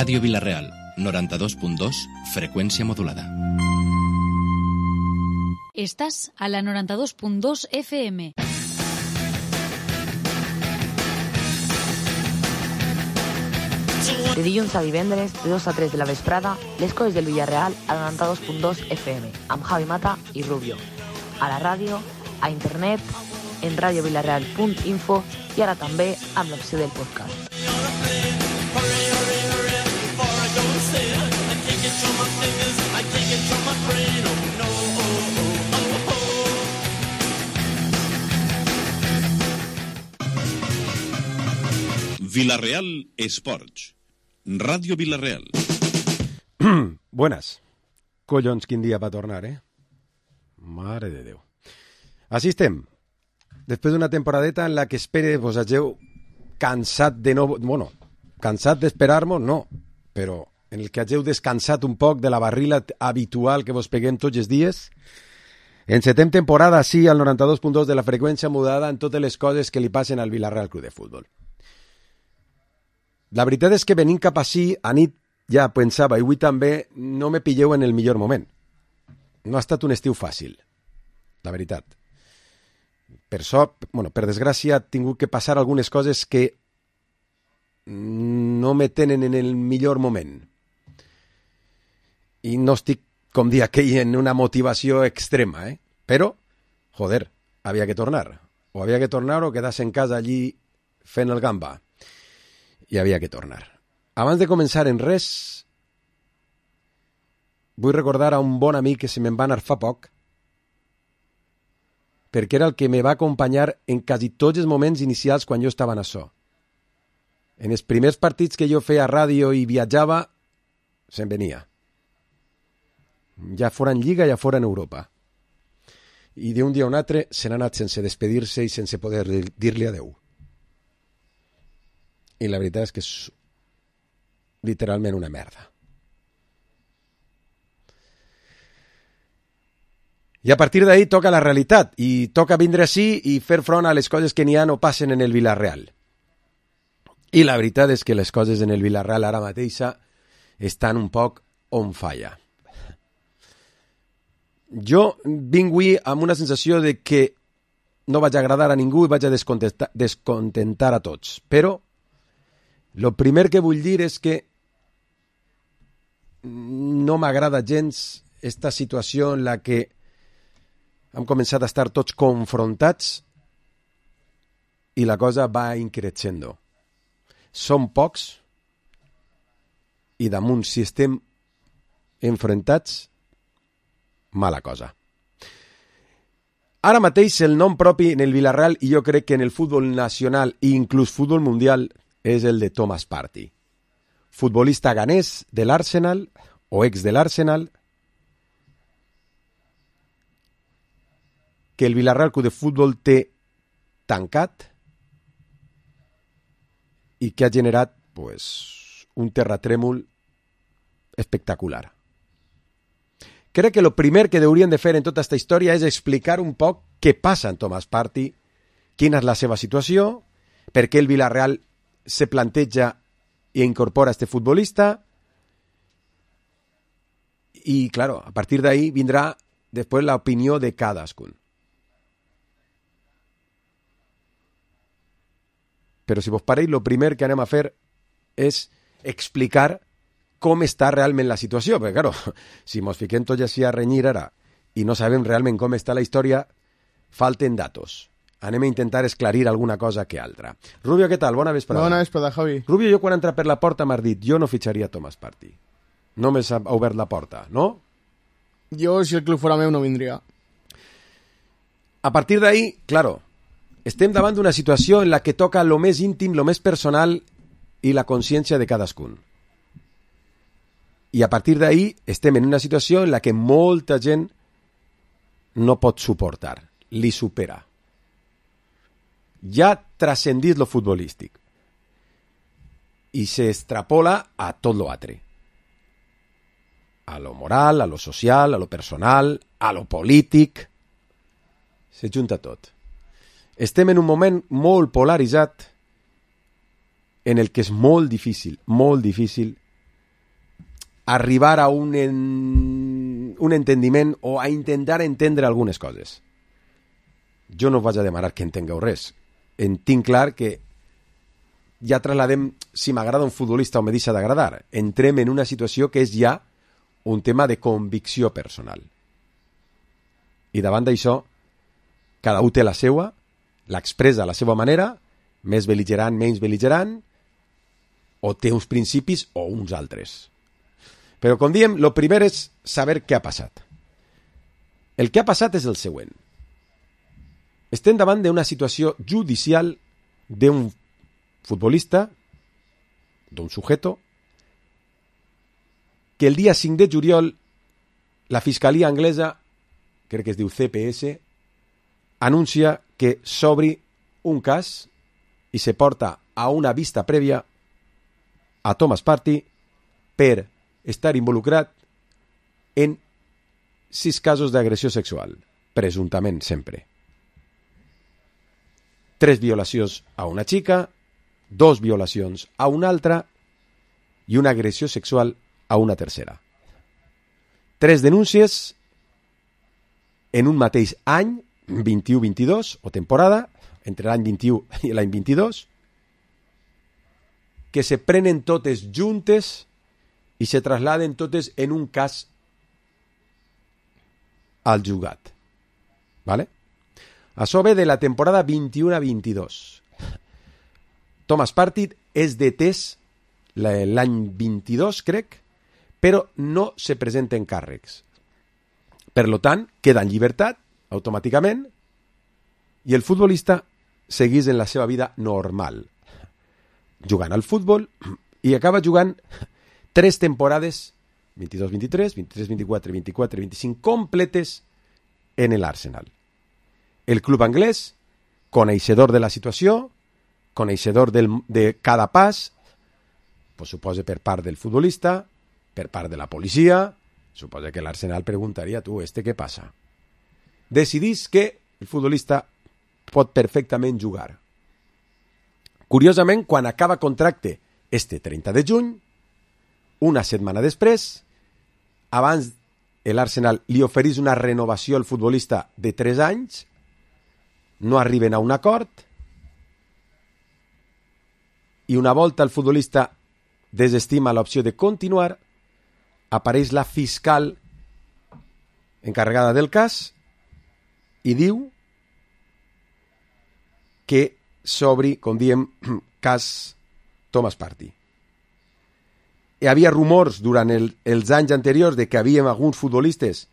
Radio Villarreal, 92.2, frecuencia modulada. Estás a la 92.2 FM. De dilluns a divendres, de 2 a 3 de la vesprada, les coses del Villarreal a la 92.2 FM, amb Javi Mata i Rubio. A la ràdio, a internet, en radiovillarreal.info i ara també amb l'opció del podcast. Villarreal Sports. Radio Villarreal. Buenas. Collons, quin dia va tornar, eh? Mare de Déu. Així estem. Després d'una temporadeta en la que espere vos hageu cansat de no... Bueno, cansat d'esperar-nos, no. Però en el que hageu descansat un poc de la barrila habitual que vos peguem tots els dies. Encetem temporada, sí, al 92.2 de la freqüència mudada en totes les coses que li passen al Villarreal Club de Futbol. La veritat és que venint cap així, a nit ja pensava, i avui també, no me pilleu en el millor moment. No ha estat un estiu fàcil, la veritat. Per desgràcia, he tingut que passar algunes coses que no me tenen en el millor moment. I no estic, com dir aquell, en una motivació extrema, eh? Però, joder, havia que tornar. O havia que tornar o quedar-se en casa allí fent el gamba. I havia que tornar. Abans de començar en res, vull recordar a un bon amic que se me'n va anar fa poc, perquè era el que me va acompanyar en quasi tots els moments inicials quan jo estava en açò. En els primers partits que jo feia ràdio i viatjava, se'n venia. Ja fora en Lliga, ja fora en Europa. I d'un dia a un altre se n'ha anat sense despedir-se i sense poder dir-li adeu. I la veritat és que és literalment una merda. I a partir d'ahí toca la realitat, i toca vindre així i fer front a les coses que n'hi ha o passen en el Villarreal. I la veritat és que les coses en el Villarreal ara mateixa estan un poc on falla. Jo vinc avui amb una sensació de que no vaig agradar a ningú i vaig a descontentar a tots, però lo primer que vull dir és que no m'agrada gens esta situació en la que hem començat a estar tots confrontats i la cosa va increixendo. Som pocs i damunt, si estem enfrontats, mala cosa. Ara mateix el nom propi en el Villarreal, i jo crec que en el futbol nacional i inclús futbol mundial, és el de Thomas Partey, futbolista ganès de l'Arsenal, o ex de l'Arsenal, que el Villarreal Club de Futbol té tancat i que ha generat un terratrèmol espectacular. Crec que el primer que haurien de fer en tota aquesta història és explicar un poc què passa en Thomas Partey, quina és la seva situació, per què el Villarreal se planteja i incorpora este futbolista i, claro, a partir d'ahí vindrà després l'opinió de cadascun. Però si vos pareix, el primer que anem a fer és explicar com està realment la situació, perquè, claro, si mos fiquem tots així a renyir ara i no sabem realment com està la història, falten datos. Anem a intentar esclarir alguna cosa que altra. Rubio, què tal? Bona vesprada. Bona vesprada, Javi. Rubio, jo quan he entrat per la porta m'has dit, jo no fitxaria Thomas Partey. Només ha obert la porta, no? Jo, si el club fora meu, no vindria. A partir d'ahí, claro, estem davant d'una situació en la que toca lo més íntim, lo més personal i la consciència de cadascun. I a partir d'ahí estem en una situació en la que molta gent no pot suportar, li supera. Ja trascendit lo futbolístic i se extrapola a tot lo altre, a lo moral, a lo social, a lo personal, a lo polític, se junta tot. Estem en un moment molt polaritzat en el que és molt difícil arribar a un entendiment o a intentar entendre algunes coses. Jo no vaig a demanar que entengueu res. Tinc clar que ja trasladem si m'agrada un futbolista o me deixa d'agradar. Entrem en una situació que és ja un tema de convicció personal. I davant d'això, cada un té la seva, l'expressa a la seva manera, més bel·ligerant, menys bel·ligerant, o té uns principis o uns altres. Però, com diem, el primer és saber què ha passat. El que ha passat és el següent. Estem davant d'una situació judicial d'un futbolista, d'un sujeto, que el dia 5 de juliol la Fiscalia anglesa, crec que es diu CPS, anuncia que s'obri un cas i se porta a una vista prèvia a Thomas Partey per estar involucrat en 6 casos d'agressió sexual, presumptament sempre. 3 violacions a una xica, 2 violacions a una altra i una agressió sexual a una tercera. 3 denúncies en un mateix any, 21-22, o temporada, entre l'any 21 i l'any 22, que se prenen totes juntes i se trasladen totes en un cas al jutjat. ¿Vale? Això ve de la temporada 21-22. Thomas Partey és detès l'any 22, crec, però no se presenten càrrecs. Per tant, queda en llibertat, automàticament, i el futbolista segueix en la seva vida normal, jugant al futbol, i acaba jugant 3 temporades, 22-23, 23-24, 24-25, completes en l'Arsenal. El club anglès, coneixedor de la situació, coneixedor de cada pas, pues suposa per part del futbolista, per part de la policia, suposa que l'Arsenal preguntaria, tu, què passa? Decidís que el futbolista pot perfectament jugar. Curiosament, quan acaba contracte este 30 de juny, una setmana després, abans l'Arsenal li oferís una renovació al futbolista de 3 anys, no arriben a un acord, i una volta el futbolista desestima l'opció de continuar, apareix la fiscal encarregada del cas i diu que s'obri, com diem, cas Thomas Partey. Hi havia rumors durant els anys anteriors de que hi havia alguns futbolistes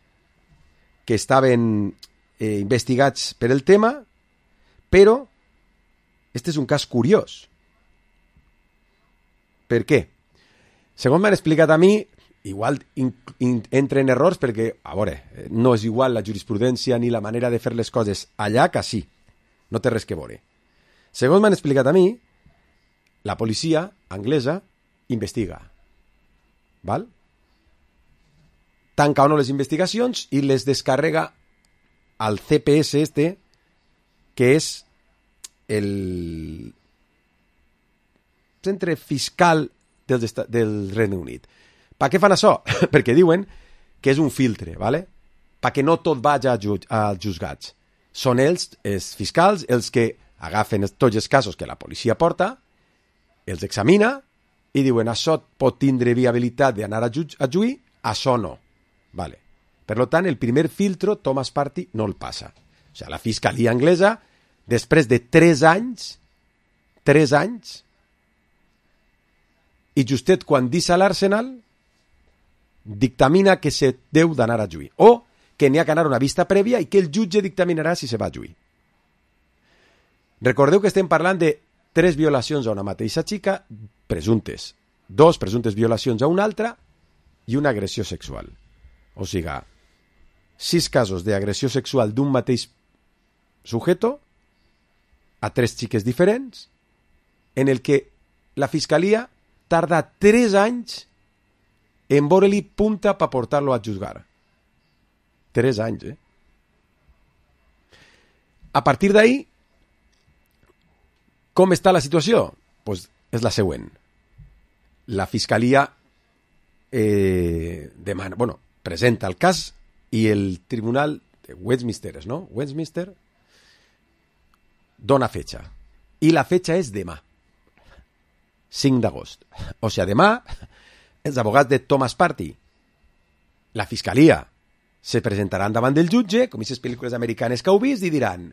que estaven investigats per el tema, però este és un cas curiós. Per què? Segons m'han explicat a mi, igual entren errors perquè, a veure, no és igual la jurisprudència ni la manera de fer les coses allà que sí. No té res que veure. Segons m'han explicat a mi, la policia anglesa investiga. Val? Tanca o no les investigacions i les descarrega al CPS que és el centre fiscal del Regne Unit. Per què fan això? Perquè diuen que és un filtre, ¿vale? Perquè no tot vagi als juzgats. Són els fiscals, els que agafen tots els casos que la policia porta, els examina i diuen això pot tindre viabilitat d'anar a juí, això no. Vale. Per tant, el primer filtro Thomas Partey no el passa. O sigui, la fiscalia anglesa, després de 3 anys, i justet quan deixa l'Arsenal, dictamina que se deu d'anar a juí. O que n'hi ha que anar a una vista prèvia i que el jutge dictaminarà si se va a juí. Recordeu que estem parlant de 3 violacions a una mateixa xica, presumptes. 2 presumptes violacions a una altra i una agressió sexual. O sigui, 6 casos d'agressió sexual d'un mateix sujeto a 3 xiques diferents, en el que la fiscalia tarda 3 anys en veure-li punta per portar-lo a juzgar. 3 anys, A partir d'ahí, com està la situació? Pues és la següent. La fiscalia demana, bueno, presenta el cas i el tribunal de Westminster, no? Westminster dona fetxa. I la fetxa és demà, 5 d'agost. O sigui, demà, els abogats de Thomas Partey, la fiscalia, se presentaran davant del jutge, com aquestes pel·lícules americanes que heu vist, i diran: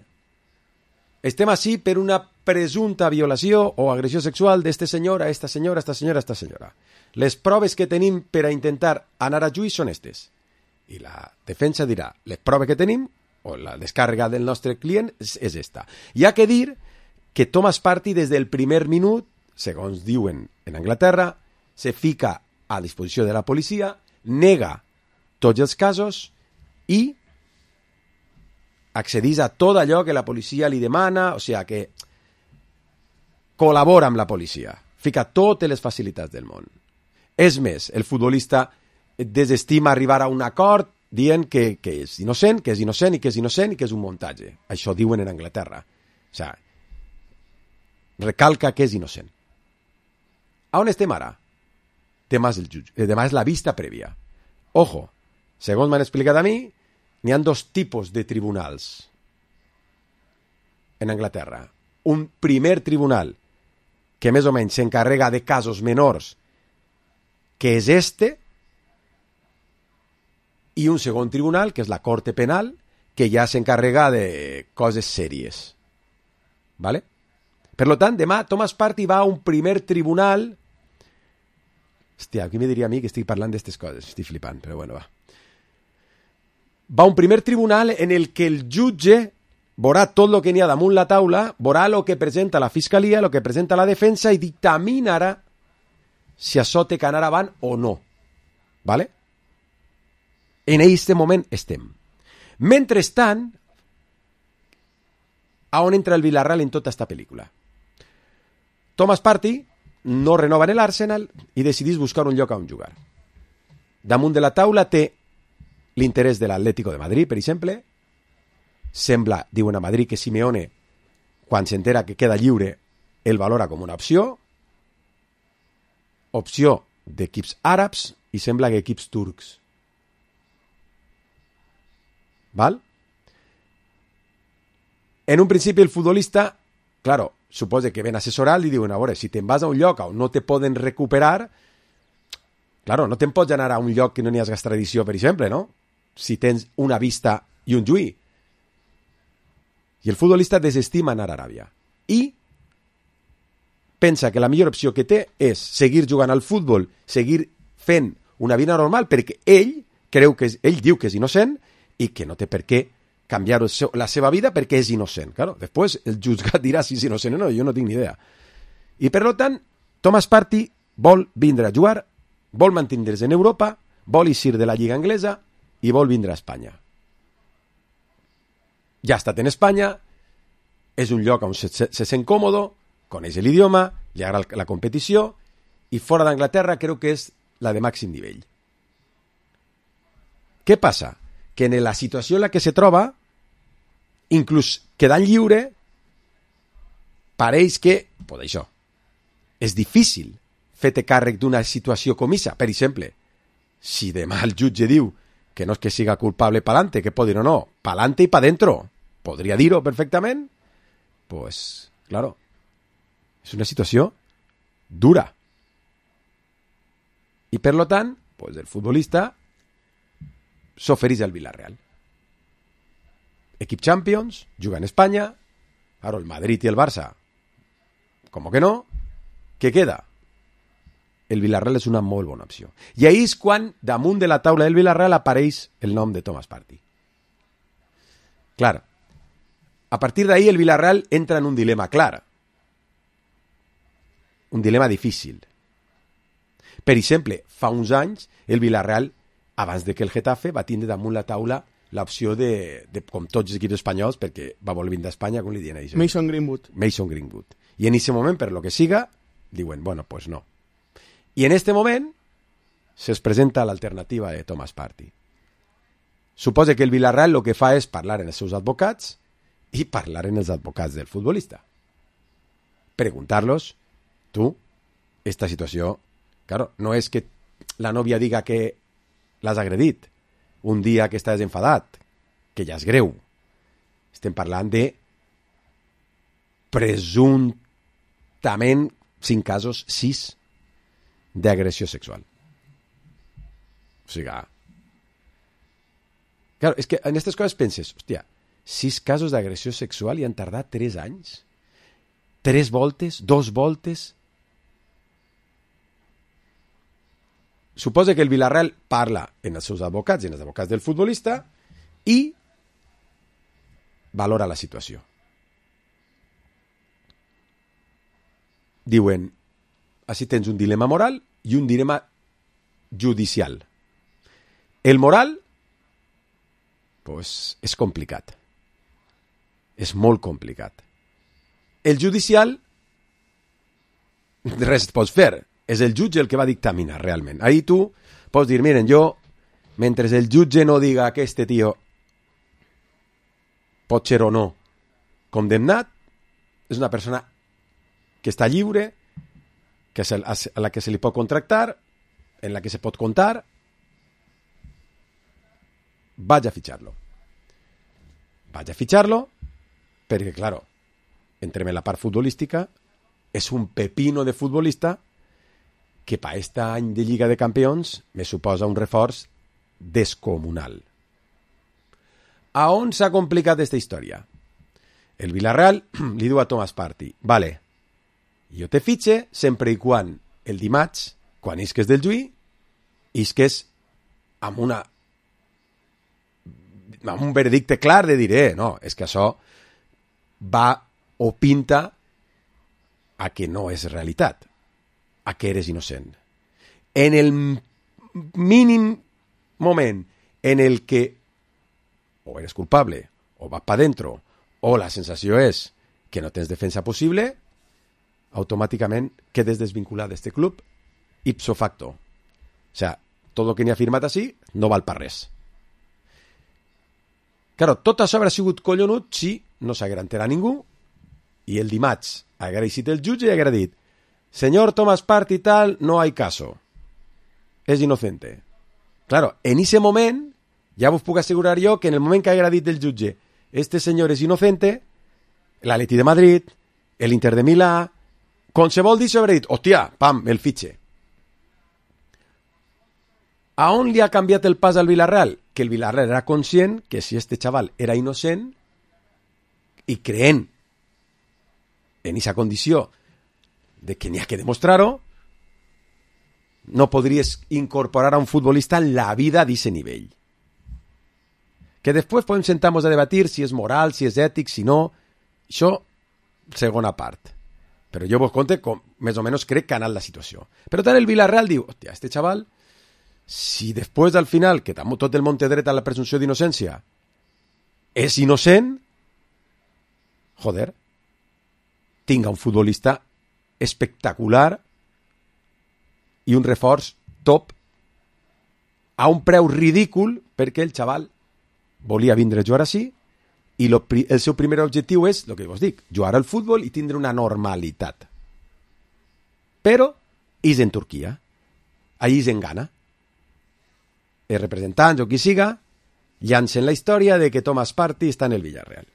estem així per una presumpta violació o agressió sexual d'este senyor a esta senyora, esta senyora, esta senyora. Les proves que tenim per a intentar anar a juí són estes. I la defensa dirà: les proves que tenim, o la descàrrega del nostre client, és esta. Hi ha que dir que Thomas Partey, des del primer minut, segons diuen en Anglaterra, se fica a disposició de la policia, nega tots els casos i accedís a tot allò que la policia li demana, o sigui que col·labora amb la policia, fica totes les facilitats del món. És més, el futbolista desestima arribar a un acord dient que és innocent, que és innocent i que és innocent i que és un muntatge. Això diuen en Anglaterra. O sigui, recalca que és innocent. A on estem ara? Demà és el jutge, demà és la vista prèvia. Ojo, segons m'han explicat a mi, n'hi ha 2 tipus de tribunals en Anglaterra. Un primer tribunal que més o menys s'encarrega de casos menors, que és este, i un segon tribunal, que és la Corte Penal, que ja s'encarrega de coses sèries. ¿Vale? Per lo tant, demà Thomas Partey va a un primer tribunal. Hòstia, qui me diria a mi que estic parlant d'aquestes coses? Estic flipant, però bueno, va. Va a un primer tribunal en el que el jutge veurà tot el que n'hi ha damunt la taula, veurà el que presenta la fiscalia, el que presenta la defensa i dictaminarà si això té que anar avant o no. ¿Vale? En aquest moment estem. Mentrestant, a on entra el Villarreal en tota esta pel·lícula? Thomas Partey no renova en l'Arsenal i decidís buscar un lloc on jugar. Damunt de la taula té l'interès de l'Atlético de Madrid, per exemple. Sembla, diuen a Madrid, que Simeone, quan s'entera que queda lliure, el valora com una opció d'equips àrabs i sembla que equips turcs. ¿Val? En un principi el futbolista, claro, suposa que ven assessorat, li diuen: a veure, si te'n vas a un lloc on no te poden recuperar, claro, no te'n pots anar a un lloc que no n'hi has extradició, per exemple, no? Si tens una vista i un juí. I el futbolista desestima anar a Aràbia. I pensa que la millor opció que té és seguir jugant al futbol, seguir fent una vida normal, perquè ell diu que és innocent i que no té per què canviar la seva vida perquè és innocent. Claro, després el jutgat dirà si és innocent o no, jo no tinc ni idea. I per tant, Thomas Partey vol vindre a jugar, vol mantindre's en Europa, vol eixir de la Lliga Anglesa i vol vindre a Espanya. Ja ha estat en Espanya, és un lloc on se sent còmodo, coneix l'idioma, li agrada la competició, i fora d'Anglaterra crec que és la de màxim nivell. Què passa? Que en la situació en la que se troba, inclús quedant lliure, pareix que, pues això, és difícil fer-te càrrec d'una situació com aquesta. Per exemple, si demà el jutge diu que no és que siga culpable pa'lante, que pot dir o no, pa'lante i pa dentro, podria dir-ho perfectament, pues, claro, és una situació dura. I per lo tant, pues el futbolista s'ofereix al Villarreal. Equip Champions, juga en Espanya, ara el Madrid i el Barça, com que no, què queda? El Villarreal és una molt bona opció. I ahí és quan, damunt de la taula del Villarreal, apareix el nom de Thomas Partey. Clar, a partir d'ahí el Villarreal entra en un dilema clar. Un dilema difícil. Per exemple, fa uns anys, el Villarreal, abans de que el Getafe, va tindre damunt la taula l'opció de com tots els equips espanyols, perquè va voler vindre a Espanya, com li diuen a Mason Greenwood. Mason Greenwood. I en aquest moment, per lo que siga, diuen, bueno, pues no. I en este moment se'ls presenta l'alternativa de Thomas Partey. Suposa que el Villarreal el que fa és parlar en els seus advocats i parlar en els advocats del futbolista. Preguntar-los, tu, esta situació, claro, no és que la nòvia diga que l'has agredit un dia que estàs enfadat, que ja és greu. Estem parlant de presumptament 5 casos, 6 d'agressió sexual. O sigui, claro, és que en aquestes coses penses, hòstia, 6 casos d'agressió sexual i han tardat 3 anys? 3 voltes? 2 voltes? Suposa que el Villarreal parla en els seus advocats i en els advocats del futbolista i valora la situació. Diuen, així tens un dilema moral i un dilema judicial. El moral, pues, és complicat. És molt complicat. El judicial, res et pots fer. És el jutge el que va dictaminar realment. Ahí tu pots dir, miren, jo, mentre el jutge no diga que este tio pot ser o no condemnat, és una persona que està lliure, que a la que se li pot contractar, en la que se pot comptar, vaig a fitxar-lo. Vaig a fitxar-lo perquè, claro, entrem en la part futbolística, és un pepino de futbolista que per aquest any de Lliga de Campions me suposa un reforç descomunal. A on s'ha complicat aquesta història? El Villarreal li diu a Thomas Partey, vale, jo te fitxe sempre i quan el dimarts, quan isques del Lluí, isques amb un veredicte clar de dir, no, és que això va o pinta a que no és realitat, a que eres innocent. En el mínim moment en el que o eres culpable, o vas para dentro, o la sensació és que no tens defensa possible, automàticament quedes desvinculat d'este club ipso facto. O sea, tot el que n'hi ha firmat així no val per res. Claro, tot això haurà sigut collonut si no s'haguera enterat ningú i el dimarts haguera eixit el jutge i haguera dit señor Thomas Partey tal, no hay caso. Es inocente. Claro, en ese moment, ja vos puc assegurar jo que en el moment que haguera dit el jutge este senyor és inocente, l'Atleti de Madrid, l'Inter de Milà, qualsevol d'això haurà dit, hòstia, pam, el fitxe. A on li ha canviat el pas al Villarreal? Que el Villarreal era conscient que si este xaval era innocent i creent en aquesta condició de que n'hi ha que demostrar-ho, no podries incorporar a un futbolista en la vida d'aquest nivell. Que després podem sentar-nos a debatir si és moral, si és ètic, si no. Això, segona part. Però jo vos conte com més o menys crec que ha anat la situació. Però tant el Villarreal diu, hòstia, este xaval, si després al final, que tot el món té dret a la presumpció d'innocència, és innocent, joder, tinga un futbolista espectacular i un reforç top a un preu ridícul perquè el xaval volia vindre a jugar així i el seu primer objectiu és, el que vos dic, jugar al futbol i tindre una normalitat. Però és en Turquia. Allí és en Ghana. Els representants o qui siga llancen la història de que Thomas Partey està en el Villarreal.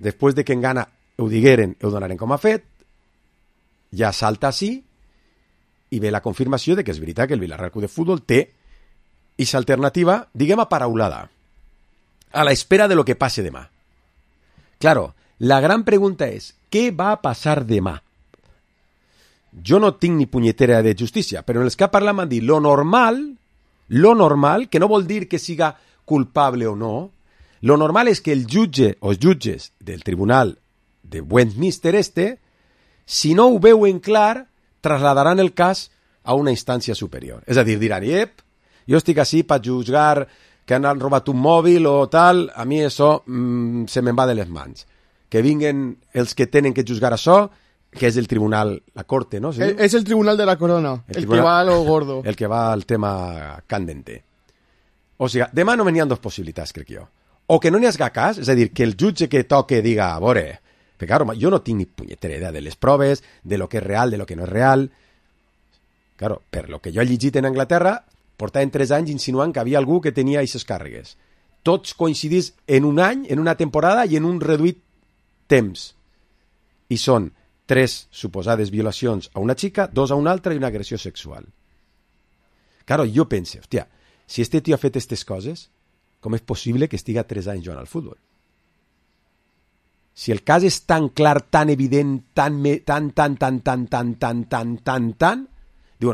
Després de que en Ghana ho digueren, ho donaren com a fet, ja salta així i ve la confirmació de que és veritat que el Villarreal Club de Futbol té aquesta alternativa, diguem, aparaulada, a la espera de lo que passe demà. Claro, la gran pregunta és, què va a passar demà? Jo no tinc ni punyetera de justícia, però en els que parlat m'han dit lo normal, que no vol dir que siga culpable o no, lo normal és que el jutge o els jutges del tribunal de Westminster si no ho veuen clar, trasladaran el cas a una instància superior. És a dir, diran, jo estic així per jutjar que han robat un mòbil o tal, a mi això se me'n va de les mans. Que vinguen els que tenen que jutjar això, que és el tribunal, la corte, ¿no? ¿Sí? Es el tribunal de la corona, el que va a lo gordo. El que va al tema candente. O sigui, demà no venien dos possibilitats, crec jo. O que no n'hi hagi cas, és a dir, que el jutge que toque diga, a veure, perquè claro, jo no tinc ni punyetera idea de les proves, de lo que és real, de lo que no és real. Claro, per lo que jo he llegit en Anglaterra, portaven 3 anys insinuant que havia algú que tenia aquestes càrregues. Tots coincidís en un any, en una temporada i en un reduït temps. I són 3 suposades violacions a una xica, 2 a una altra i una agressió sexual. Claro, jo pense, hòstia, si este tio ha fet aquestes coses, com és possible que estiga 3 anys jugant al futbol? Si el cas és tan clar, tan evident, tan, diuen,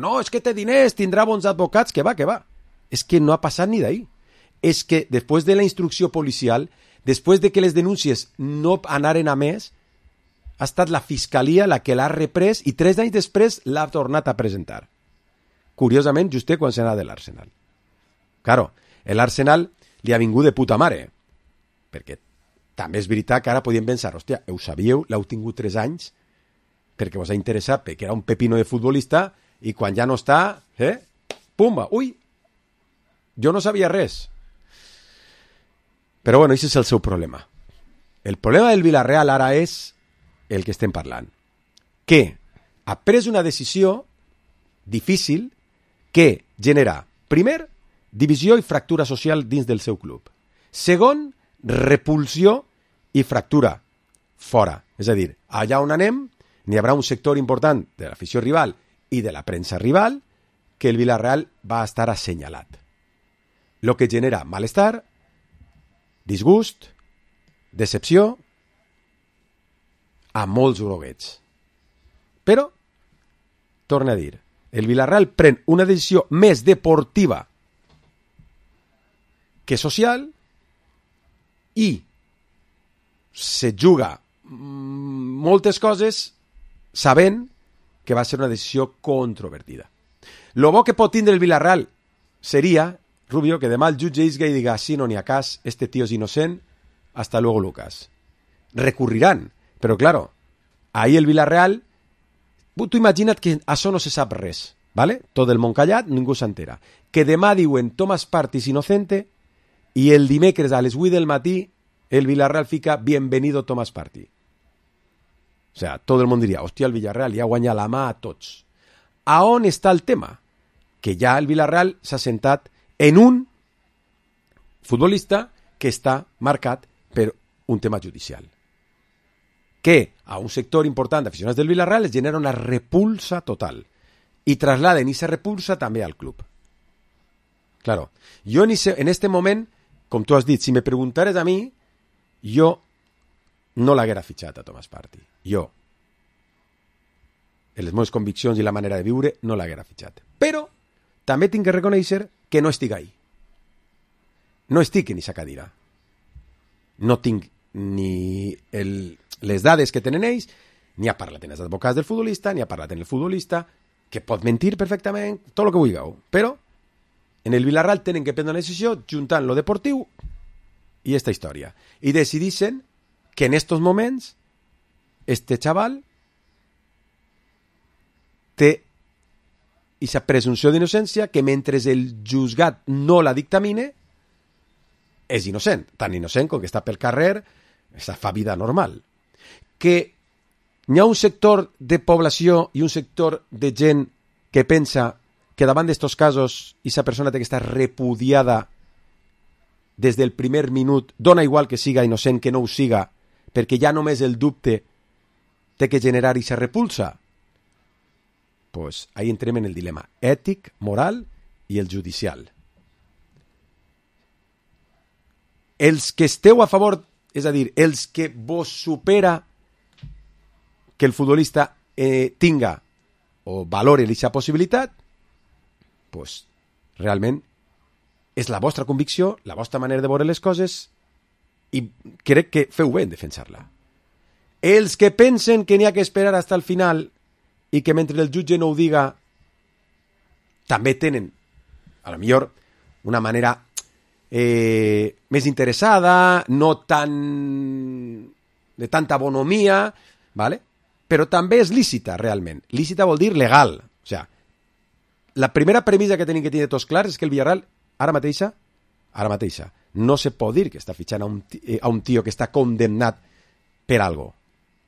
no, és que té diners, tindrà bons advocats, que va. És que no ha passat ni d'ahí. És que després de la instrucció policial, després de que les denúncies no anaren a més, ha estat la fiscalia la que l'ha reprès i 3 anys després l'ha tornat a presentar. Curiosament, just quan se n'ha de l'Arsenal. Claro, l'Arsenal li ha vingut de puta mare, perquè també és veritat que ara podíem pensar, hòstia, ho sabíeu, l'heu tingut 3 anys perquè vos ha interessat, perquè era un pepino de futbolista i quan ja no està, pumba, ui, jo no sabia res. Però bueno, aquest és el seu problema. El problema del Villarreal ara és el que estem parlant, que ha pres una decisió difícil que genera, primer, divisió i fractura social dins del seu club. Segon, repulsió i fractura fora. És a dir, allà on anem, n'hi haurà un sector important de l'afició rival i de la premsa rival que el Villarreal va estar assenyalat. Lo que genera malestar, disgust, decepció, a molts groguets. Però, torna a dir, el Villarreal pren una decisió més deportiva que social i se juga moltes coses sabent que va ser una decisió controvertida. Lo bo que pot tindre el Villarreal seria, Rubio, que demà el jutge isga i diga, sí, no n'hi ha cas, este tío es inocent, hasta luego Lucas. Recurrirán, però claro, ahí el Villarreal, tu imagina't que això no se sap res, ¿vale? Tot el món callat, ningú s'entera. Que demà diuen Thomas Partey és inocente i el dimecres a les 8 del matí el Villarreal fica bienvenido Thomas Partey. O sea, todo el món diria, hòstia, el Villarreal ja guanya la mà a tots. A on està el tema? Que ja el Villarreal s'ha sentat en un futbolista que està marcat per un tema judicial. Que a un sector important d'aficionats del Villarreal es genera una repulsa total i trasladen esa repulsa també al club. Claro, jo en este moment, com tu has dit, si me preguntares a mi, jo no l'haguera fitxat a Thomas Partey. Jo, en les meves conviccions i la manera de viure, no l'haguera fitxat. Però també tinc que reconèixer que no estic ahí. No estic en aquesta cadira. No tinc ni les dades que tenen ells, ni ha parlat en els advocats del futbolista, ni ha parlat en el futbolista, que pot mentir perfectament, tot el que vulgueu. Però en el Villarreal tenen que prendre una decisió juntant lo deportiu i esta història. I decidixen que en estos moments este chaval té esa presumpció d'innocència que mentre el juzgat no la dictamine és innocent, tan innocent com que està pel carrer, fa vida normal. Que hi ha un sector de població i un sector de gent que pensa que davant d'estos casos esa persona té que estar repudiada des del primer minut, dona igual que siga innocent que no ho siga, perquè ja només el dubte té que generar esa repulsa. Pues ahí entrem en el dilema ètic, moral i el judicial. Els que esteu a favor, és a dir, els que vos supera que el futbolista tinga o valore aquesta possibilitat, pues realment és la vostra convicció, la vostra manera de veure les coses i crec que feu bé en defensar-la. Els que pensen que n'hi ha que esperar fins al final i que mentre el jutge no ho diga també tenen, a lo millor, una manera més interessada, no tan de tanta bonomia, ¿vale? Però també és lícita, realment. Lícita vol dir legal. O sea, la primera premissa que tenim que tenir tots clars és que el Villarreal, ara mateixa, no se pot dir que està fitxant a un tio que està condemnat per algo,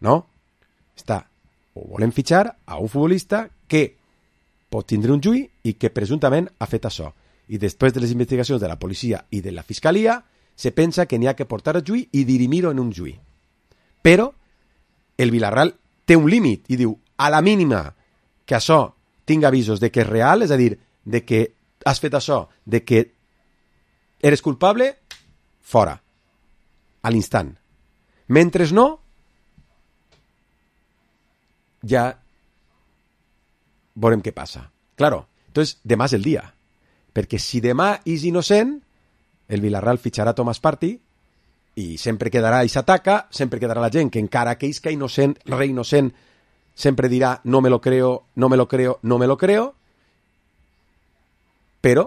no? O volen fitxar a un futbolista que pot tindre un juí i que presumptament ha fet això. I després de les investigacions de la policia i de la fiscalia, se pensa que n'hi ha que portar a juí i dirimir-ho en un juí. Però el Villarreal té un límit i diu, a la mínima que això tinga avisos de que és real, és a dir, de que has fet això, de que eres culpable, fora, a l'instant. Mentre no, ja veurem què passa. Claro, entonces demà és el dia, perquè si demà és innocent, el Villarreal fitxarà Thomas Partey i sempre quedarà i s'ataca, sempre quedarà la gent que encara que isca innocent, re innocent, sempre dirà no me lo creo, no me lo creo, no me lo creo, però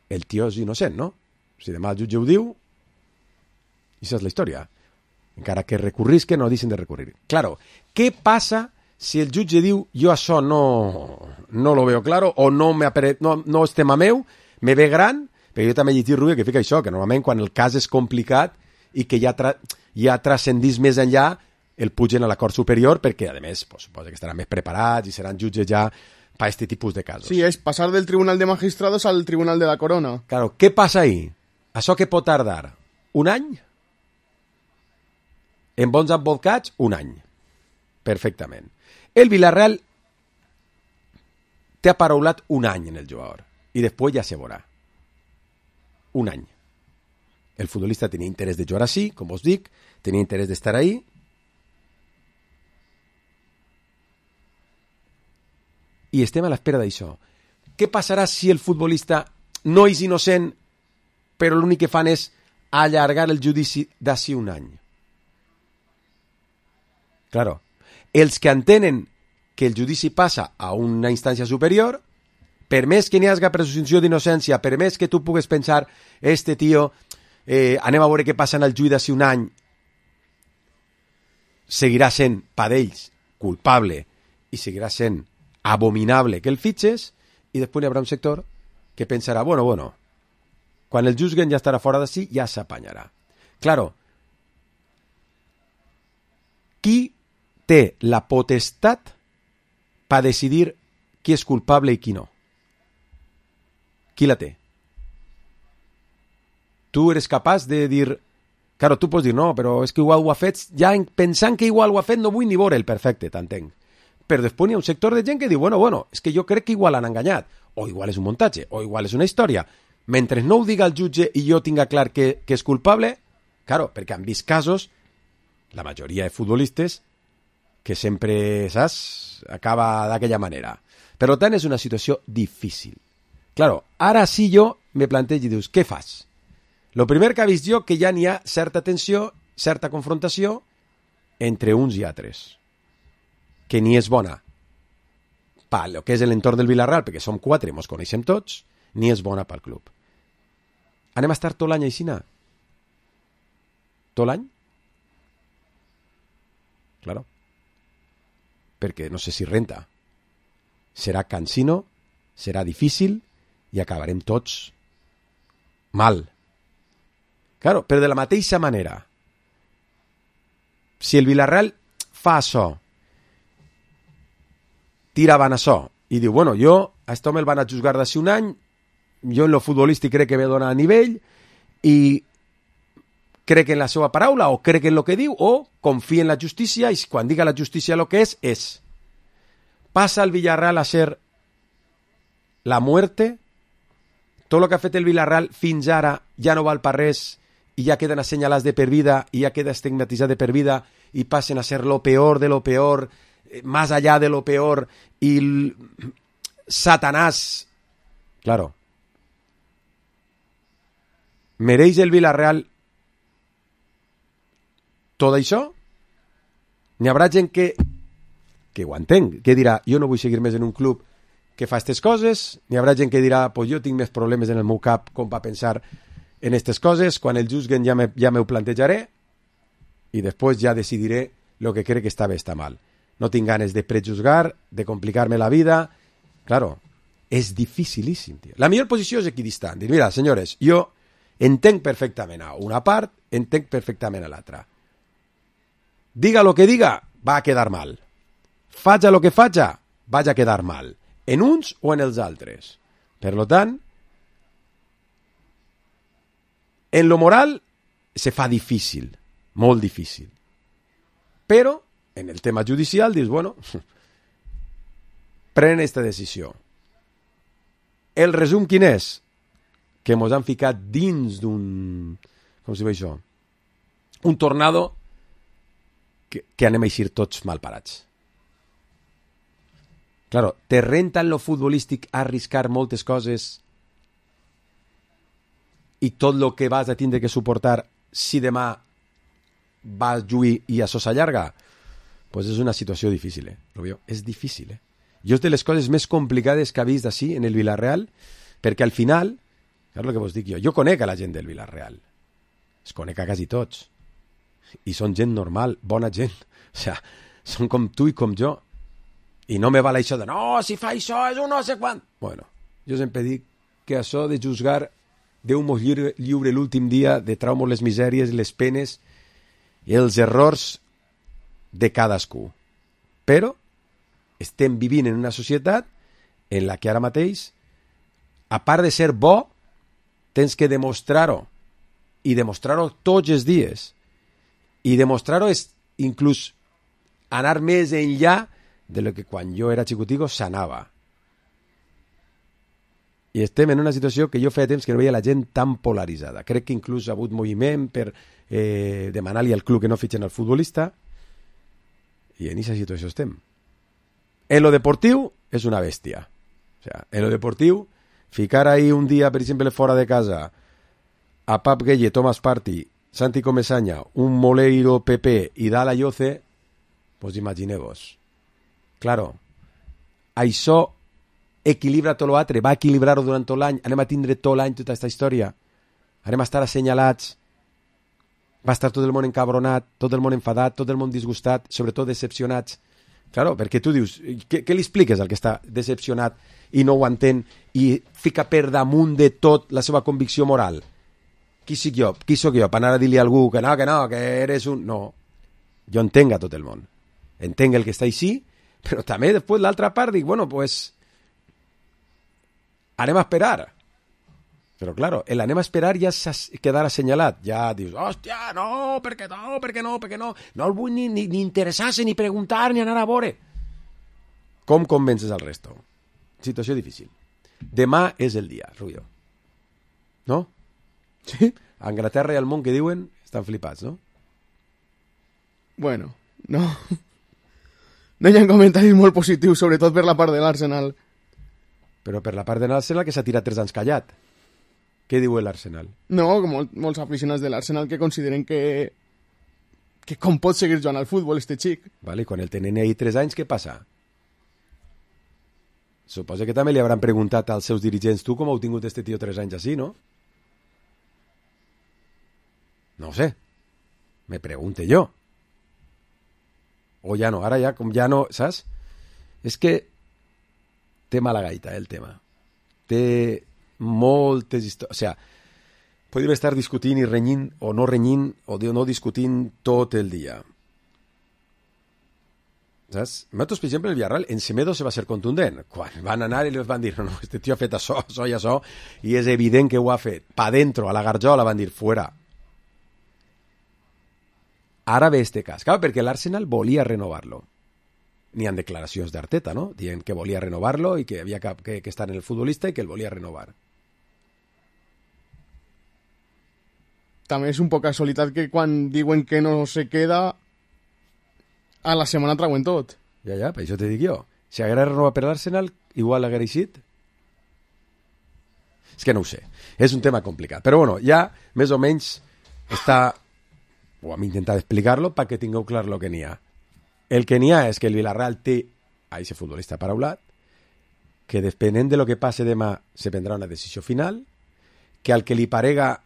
el tio és innocent, no? Si demà el jutge ho diu, això és la història. Encara que recurrisque, no deixen de recurrir. Claro, què passa si el jutge diu jo això no lo veo claro o no és tema meu, me ve gran, però jo també he llegit, Rubio, que fica això, que normalment quan el cas és complicat i que ja transcendís més enllà, el pugen a la Cort Superior perquè, a més, pues, suposa que estaran més preparats i seran jutges ja per aquest tipus de casos. Sí, és passar del Tribunal de Magistrados al Tribunal de la Corona. Claro, què passa ahí? Això que pot tardar? Un any? En bons advocats, un any. Perfectament. El Villarreal té aparaulat un any en el jugador i després ja se veurà. Un any. El futbolista tenia interès de jugar així, com us dic, tenia interès d'estar ahí. I estem a l'espera d'això. Què passarà si el futbolista no és innocent, però l'únic que fan és allargar el judici d'ací un any? Claro, els que entenen que el judici passa a una instància superior, per més que n'hi hagi presumpció d'innocència, per més que tu pugues pensar, este tio, anem a veure què passa en el judici d'ací un any, seguirà sent per ells culpable i seguirà sent abominable que el fitxes, i després hi haurà un sector que pensarà, bueno, quan el juzguen ja estarà fora d'ací, ja s'apanyarà. Claro, qui té la potestat per decidir qui és culpable i qui no? Qui la té? Tu eres capaç de dir... Claro, tu pots dir, no, però és que igual ho ha fet, ja pensant que igual ho ha fet no vull ni veure'l, perfecte, t'entenc. Però després hi ha un sector de gent que diu, bueno, és que jo crec que igual han enganyat, o igual és un muntatge, o igual és una història. Mentre no ho diga el jutge i jo tinga clar que és culpable, claro, perquè han vist casos, la majoria de futbolistes, que sempre, saps, acaba d'aquella manera. Per tant, és una situació difícil. Claro, ara sí jo me plantejo i dius, què fas? Lo primer que ha vist jo que ja n'hi ha certa tensió, certa confrontació entre uns i altres, que ni és bona per lo que és l'entorn del Villarreal, perquè som 4 i mos coneixem tots, ni és bona pel club. Anem a estar tot l'any així? Tot l'any? Claro. Perquè no sé si renta. Serà cansino, serà difícil i acabarem tots mal. Claro, però de la mateixa manera, si el Villarreal fa això, tira avant això, i diu, bueno, jo a aquest home el van a juzgar d'ací un any, jo en lo futbolístic crec que me dona a nivell, i crec en la seva paraula, o crec en lo que diu, o confia en la justícia, i quan diga la justícia lo que és. Passa el Villarreal a ser la muerte, tot el que ha fet el Villarreal fins ara ja no val per res, i ja queden assenyalats de per vida, i ja queda estigmatitzat de per vida, i passen a ser lo peor de lo peor, más allá de lo peor, y Satanás. Claro. ¿Mereix el Villarreal tot això? N'hi haurà gent que ho entenc, que dirà, jo no vull seguir més en un club que fa aquestes coses, n'hi haurà gent que dirà, pues jo tinc més problemes en el meu cap com per pensar en aquestes coses, quan el juzguen ja m'ho plantejaré i després ja decidiré el que crec que està bé, està mal. No tinc ganes de prejuzgar, de complicar-me la vida. Claro, és dificilíssim, tio. La millor posició és equidistant. Dir, mira, senyores, jo entenc perfectament a una part, entenc perfectament a l'altra. Diga lo que diga, va a quedar mal. Faja lo que faja, vaig a quedar mal. en uns o en els altres. Per tant, en lo moral se fa difícil, molt difícil. Però, en el tema judicial, dius, bueno, pren esta decisió. El resum quin és? Que mos han ficat dins d'un... Com se diu això? Un tornado que anem a eixir tots malparats. Claro, te renta en lo futbolístic arriscar moltes coses i tot lo que vas a tindre que suportar si demà vas lluir i això s'allarga? Pues és una situació difícil, Rubio. És difícil, Jo és de les coses més complicades que ha vist així en el Villarreal, perquè al final, és el que vos dic jo conec a la gent del Villarreal. Es conec a quasi tots. I són gent normal, bona gent. O sea, són com tu i com jo. I no me val això de, no, si fa això és un no sé quant. Bueno, jo sempre dic que això de juzgar Déu mos lliure l'últim dia de traumos, les misèries, les penes i els errors de cadascú. Però estem vivint en una societat en la que ara mateix, a part de ser bo, tens que demostrar-ho. I demostrar-ho tots els dies. I demostrar-ho és inclús anar més enllà de lo que quan jo era xicutico s'anava. I estem en una situació que jo feia temps que no veia la gent tan polaritzada. Crec que inclús ha hagut moviment per demanar-li al club que no fitxen el futbolista, i en aquesta situació estem. En lo deportiu és una bèstia. O sea, en lo deportiu, ficar ahí un dia, per exemple, fora de casa, a Pap Gueye, Thomas Partey, Santi Comesaña, un Moleiro Pepe i Dala Yoce, pues imagineu-vos. Claro, això equilibra tot l'altre, va equilibrar-ho durant tot l'any, anem a tindre tot l'any tota aquesta història, anem a estar assenyalats, va estar tot el món encabronat, tot el món enfadat, tot el món disgustat, sobretot decepcionats. Claro, perquè tu dius, què li expliques al que està decepcionat i no ho entén i fica per damunt de tot la seva convicció moral? Qui soc jo? Per anar a dir-li a algú que no, que eres un... No, jo entenc a tot el món. Entenc el que està així, però també després l'altra part dic, bueno, pues anem a esperar. Però claro, el anem a esperar ja quedarà assenyalat. Ja dius, hòstia, no, per què no? No el vull ni interessar-se, ni preguntar, ni anar a veure. Com convences al resto? Situació difícil. Demà és el dia, Rubio. No? Sí? A Anglaterra i al món que diuen estan flipats, no? Bueno, no. No hi ha comentaris molt positius, sobretot per la part de l'Arsenal. Però per la part de l'Arsenal que s'ha tirat 3 anys callat. Què diu l'Arsenal? No, molts aficionats de l'Arsenal que consideren que com pot seguir jugant al futbol este xic. Vale, quan el tenen ahí 3 anys, què passa? Suposa que també li hauran preguntat als seus dirigents, tu com heu tingut este tio 3 anys així, no? No ho sé. Me pregunte jo. O ja no, ara ja, com ja no, saps? És que té mala gaita, el tema. Té moltes històries. O sigui, podríem estar discutint i renyint, o no renyint, o no discutint tot el dia. Saps? Nosaltres, per exemple, el Villarreal, en Semedo se va ser contundent. Quan van anar i li van dir, no, este tio ha fet això i això, i és evident que ho ha fet. Pa dentro, a la garjola, van dir, fuera. Ara ve este cas. Clar, perquè l'Arsenal volia renovar-lo. N'hi ha declaracions d'Arteta, no? Dient que volia renovar-lo i que havia que estar en el futbolista i que el volia renovar. També és un poc casualitat que quan diuen que no se queda, a la setmana trauen tot. Ja, per això te dic jo. Si haguera renovat per l'Arsenal, igual haguera eixit. És que no ho sé. És un tema complicat. Però bueno, ja més o menys està... o hem intentat explicar-lo perquè tingueu clar el que n'hi ha. El que n'hi ha és que el Villarreal té a aquest futbolista paraulat, que depenent de lo que passe demà se prendrà una decisió final, que al que li parega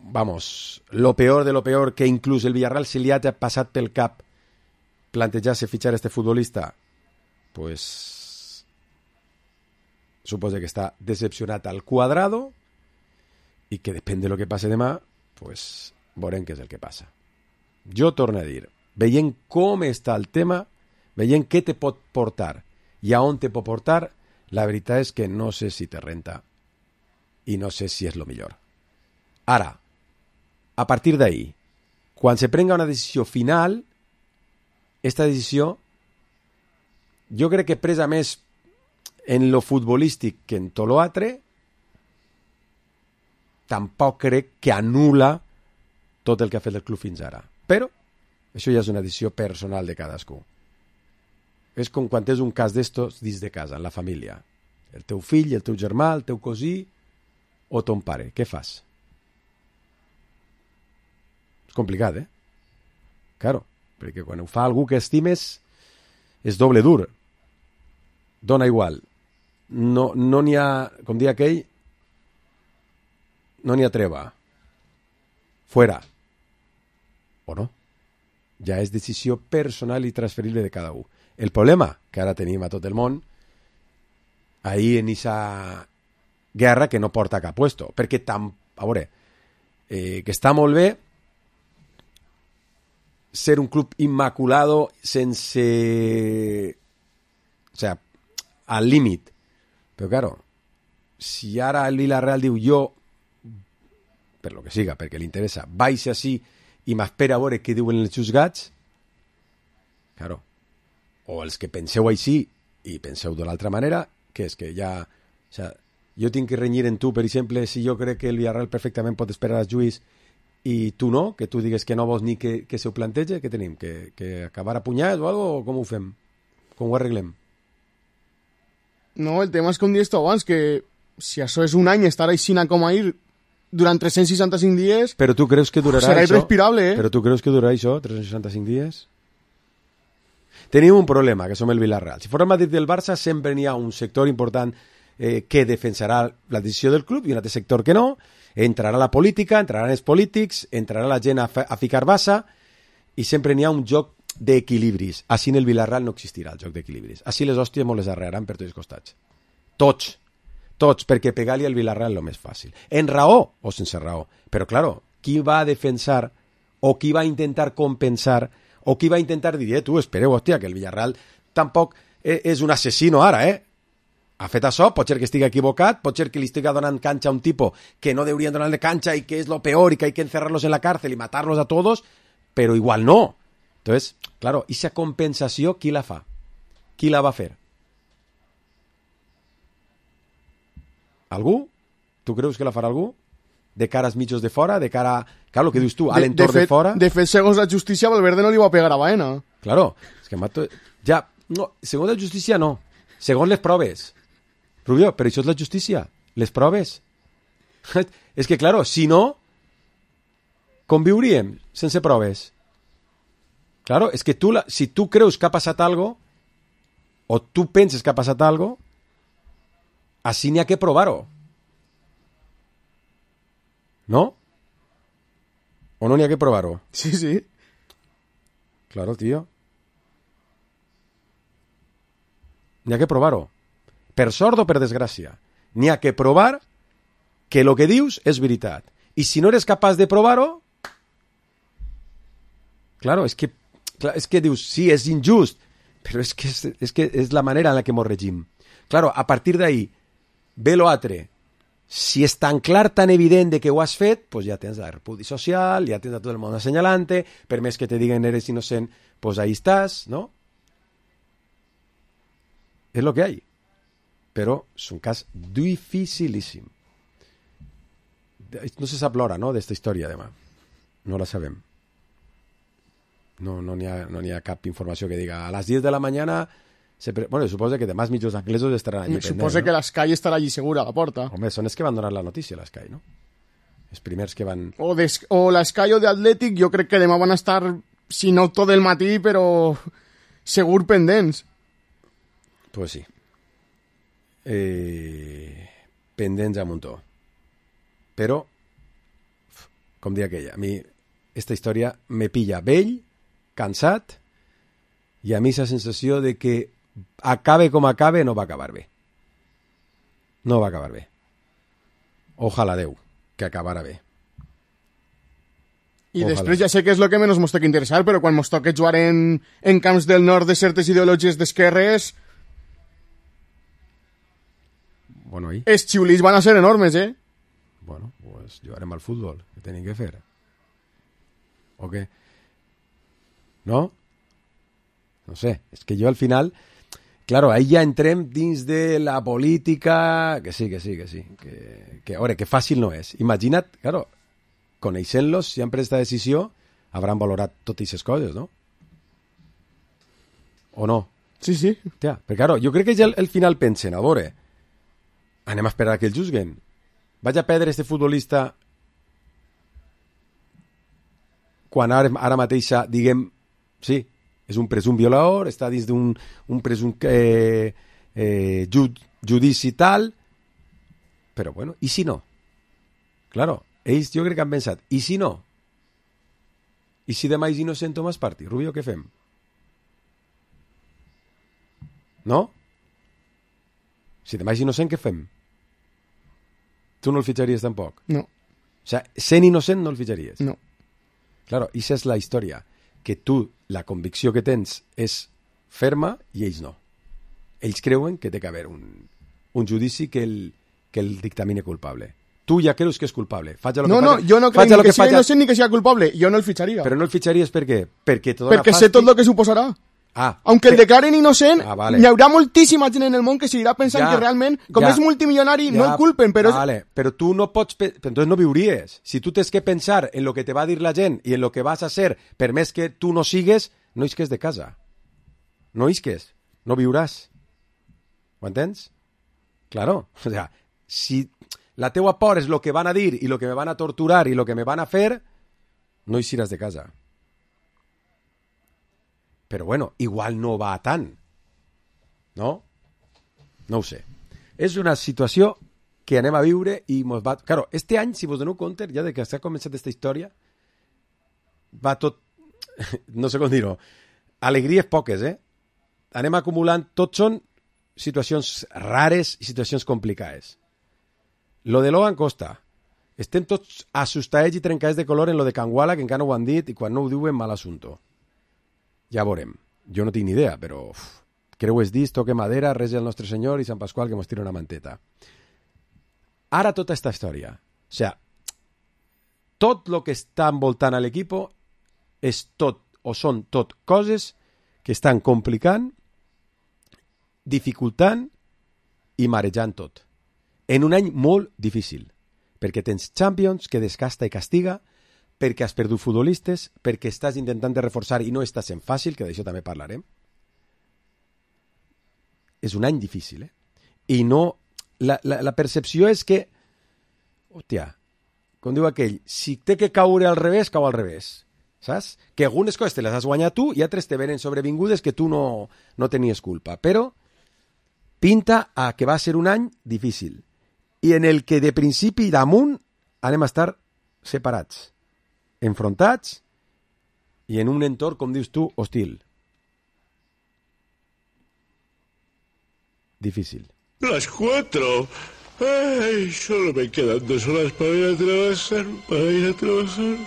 vamos, lo peor de lo peor, que inclús el Villarreal se li ha passat pel cap plantejar-se fitxar este futbolista, pues suposa que està decepcionat al quadrado i que depèn de lo que passe demà, pues veurem què és el que passa. Jo torno a dir, veient com està el tema, veient què te pot portar i a on te pot portar, la veritat és que no sé si te renta i no sé si és lo millor. Ara, a partir d'ahí, quan se prenga una decisió final, esta decisió jo crec que presa més en lo futbolístic que en tot l'altre, tampoc crec que anul·la tot el que ha fet el club fins ara. Però això ja és una decisió personal de cadascú. És com quan tens un cas d'estos dins de casa, en la família. El teu fill, el teu germà, el teu cosí o ton pare. Què fas? És complicat, Claro, perquè quan ho fa algú que estimes és doble dur. Dona igual. No n'hi ha, com dia aquell, no n'hi ha treva. Fuera. O no? Ja és decisió personal i transferible de cada un. El problema que ara tenim a tot el món, ahir en aquesta guerra que no porta a cap puesto, perquè a veure, que està molt bé ser un club inmaculado sense... O sea, al límit. Però, claro, si ara el Villarreal diu jo, per lo que siga, perquè li interessa, baixa així i m'espera a veure què diuen els juzgats, claro, o els que penseu així i penseu d'una altra manera, que és que ja... O sea, jo tinc que renyir en tu, per exemple, si jo crec que el Villarreal perfectament pot esperar als juís i tu no, que tu digues que no vols ni que se ho plantege, què tenim? Que acabar a punyats o algo, o com ho fem? Com ho arreglem? No, el tema és com dius tu abans, que si això és un any estar així com a ir durant 365 dies... Però tu creus que durarà serà això? irrespirable, Però tu creus que durarà això, 365 dies? Tenim un problema, que som el Villarreal. Si fos el Madrid del Barça, sempre n'hi ha un sector important que defensarà la decisió del club i un altre sector que no. Entrarà la política, entraran els polítics, entrarà la gent a ficar bassa i sempre n'hi ha un joc d'equilibris. Així en el Villarreal no existirà el joc d'equilibris. Així les hòsties molt les arrearan per tots els costats. Tots, perquè pegar-li al Villarreal és el més fàcil. En raó o sense raó. Però, claro, qui va a defensar o qui va a intentar compensar o qui va a intentar dir, tu, espereu, hòstia, que el Villarreal tampoc és un assassino ara, ha fet això, pot ser que estigui equivocat, pot ser que li estigui donant canxa a un tipus que no deurien donar-li canxa i que és lo peor y que hay que encerrarlos en la cárcel y matarlos a todos, però igual no. Entonces, claro, esa compensació, qui la fa? Qui la va fer? Algú? Tu creus que la farà algú? De cara als mitjos de fora? De cara, claro, el que dius tu, a l'entorn de fora? De fet, segons la justícia, Valverde no li va pegar a Baena. Claro, és que mato... Ja, no, segons la justícia no. Segons les proves. Rubio, però això és la justícia. Les proves. És que, claro, si no, com viuríem sense proves? Claro, és que si tu creus que ha passat algo, o tu penses que ha passat algo, així n'hi ha que provar-ho. ¿No? ¿O no n'hi ha que provar-ho? Sí. Claro, tío. N'hi ha que provar-ho. Per sort o per desgràcia. N'hi ha que provar que el que dius és veritat. I si no eres capaç de provar-ho, claro, és que dius, sí, és injust, però és que és la manera en la que mos regim. Claro, a partir d'ahí, ve lo altre. Si és tan clar, tan evident de que ho has fet, pues ja tens el repudi social, ja tens a tot el món assenyalant-te, per més que te diguen eres innocent, pues ahí estàs, ¿no? És lo que hay. Però és un cas dificilíssim. No se sap l'hora, no?, d'esta història, demà. No la sabem. No n'hi ha cap informació que diga a les 10 de la mañana... Bueno, suposa que demà els mitjos anglesos estaran allí pendents. Suposa que l'Sky estarà allí segura a la porta. Home, són els que van donar la notícia, l'Sky, no? Els primers que van... O l'Sky o d'Atlètic, jo crec que demà van estar, si no tot el matí, però segur pendents. Pues sí. Pendents a muntó. Però, com dia aquella, a mi esta història me pilla vell, cansat, i a mi la sensació de que acabe com acabe, no va acabar bé. No va acabar bé. Ojalà Déu que acabara bé. I després ja sé que és el que menys mos té que interessar, però quan mos toca jugar en camps del nord de certes ideologies d'esquerres, Bueno, i? Els xiulits van a ser enormes, eh? Bueno, pues jugarem al futbol. Què tenim que fer? ¿O què? No? No sé. És que jo al final... Claro, ahí ja entrem dins de la política... Que sí. Que a veure, que fàcil no és. Imagina't, claro, coneixent-los, si han pres esta decisió, hauran valorat totes aquestes coses, no? O no? Sí. Hòstia, però claro, jo crec que ja al final pensen, a veure, anem a esperar que el juzguen. Vaig a perdre este futbolista quan ara mateixa diguem, sí, és un presum violador, està dins d'un presum judici tal, però bueno, i si no? Claro, ells jo crec que han pensat, i si no? I si demà és innocent Tomàs Partí? Rubio, què fem? No? Si demà és innocent, què fem? Tu no el fitxaries tampoc? No. O sea, sent innocent no el fitxaries? No. Claro, i esa és la història. Que tu, la convicció que tens és ferma i ells no. Ells creuen que té que haver un judici que el dictamine culpable. Tu ja creus que és culpable. No, jo no crec ni que sigui innocent ni que sigui culpable. Jo no el fitxaria. Però no el fitxaries per què? Perquè sé tot el que suposarà. Aunque el declaren innocent, vale. Hi haurà moltíssima gent en el món que seguirà pensant que realment, com és multimilionari, no el culpen. Però però tu no pots... Entonces no viuries. Si tu tens que pensar en lo que te va a dir la gent i en lo que vas a ser, per més que tu no sigues, no isques de casa. No isques. No viuràs. Ho entens? Claro. O sea, si la teua por és lo que van a dir i lo que me van a torturar i lo que me van a fer, no eixiràs de casa. Però bueno, igual no va tant. No? No ho sé. És una situació que anem a viure i mos va... Claro, este any, si vos doneu compte, ja de que s'ha començat aquesta història, va tot... No sé com dir-ho. Alegries poques, eh? Anem acumulant... Tots són situacions rares i situacions complicades. Lo de Logan Costa. Estem tots assustadets i trencadets de color en lo de Canguala, que encara no ho han dit, i quan no ho diuen, mal assunto. Ja veurem. Jo no tinc ni idea, però creues dits, toque madera, resi el nostre Senyor i Sant Pasqual que mos tira una manteta. Ara tota esta història. O sea, tot lo que està envoltant a l'equipo és tot, o són tot coses que estan complicant, dificultant i marejant tot. En un any molt difícil, perquè tens Champions que desgasta i castiga, perquè has perdut futbolistes, perquè estàs intentant de reforçar i no està sent fàcil, que d'això també parlarem. És un any difícil, eh? I no... La percepció és que, hòstia, com diu aquell, si té que caure al revés, cau al revés. Saps? Que algunes coses te les has guanyat tu i altres te venen sobrevingudes que tu no tenies culpa. Però pinta a que va ser un any difícil i en el que de principi damunt anem a estar separats, enfrontats i en un entorn, com dius tu, hostil. Difícil. Las 4. Ay, solo me quedan 2 horas para ir a trabajar.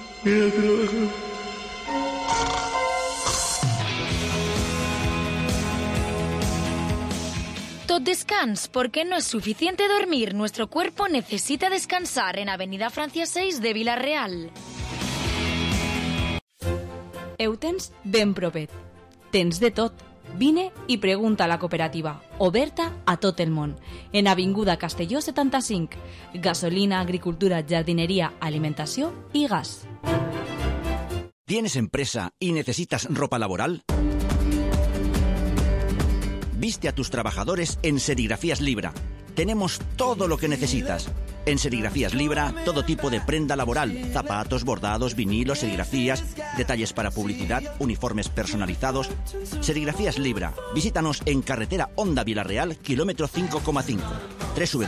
Tot descans, porque no es suficiente dormir. Nuestro cuerpo necesita descansar en Avenida Francia 6 de Vila-real. Ho tens ben propet. Tens de tot. Vine i pregunta a la cooperativa, oberta a tot el món. En Avinguda Castelló 75. Gasolina, agricultura, jardinería, alimentació i gas. ¿Tienes empresa y necesitas ropa laboral? Viste a tus trabajadores en Serigrafías Libra. Tenemos todo lo que necesitas. En Serigrafías Libra, todo tipo de prenda laboral, zapatos, bordados, vinilos, serigrafías, detalles para publicidad, uniformes personalizados. Serigrafías Libra. Visítanos en carretera Honda Vila-real, kilómetro 5,5.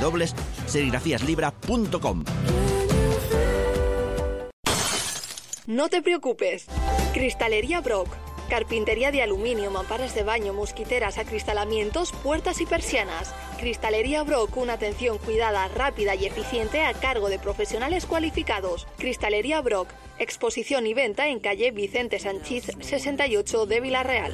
www.serigrafíaslibra.com. No te preocupes. Cristalería Brock. Carpintería de aluminio, mamparas de baño, mosquiteras, acristalamientos, puertas y persianas. Cristalería Brock, una atención cuidada, rápida y eficiente a cargo de profesionales cualificados. Cristalería Brock, exposición y venta en calle Vicente Sanchís 68 de Vila-real.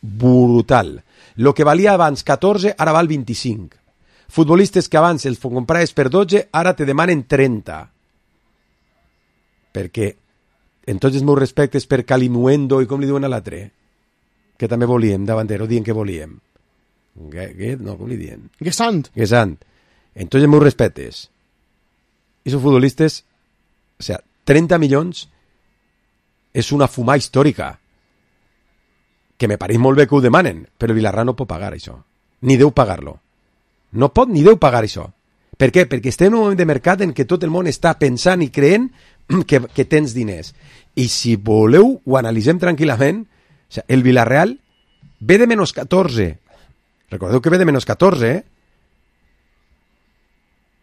brutal. Lo que valia abans 14, ara val 25. Futbolistes que abans els compraves per 12, ara te demanen 30. Perquè, en tots els meus respectes per Calimuendo i com li diuen a l'altre, que també volíem, davantero, dient que volíem. No, com li diuen? Gesant. En tots els meus respectes. I són futbolistes, o sea, 30 milions és una fumada històrica. Que me pareix molt bé que ho demanen, però Villarreal no pot pagar això. Ni deu pagar-lo. No pot ni deu pagar això. Per què? Perquè estem en un moment de mercat en què tot el món està pensant i creent que tens diners. I si voleu, ho analitzem tranquil·lament. O sigui, el Villarreal ve de menys 14. Recordeu que ve de menys 14,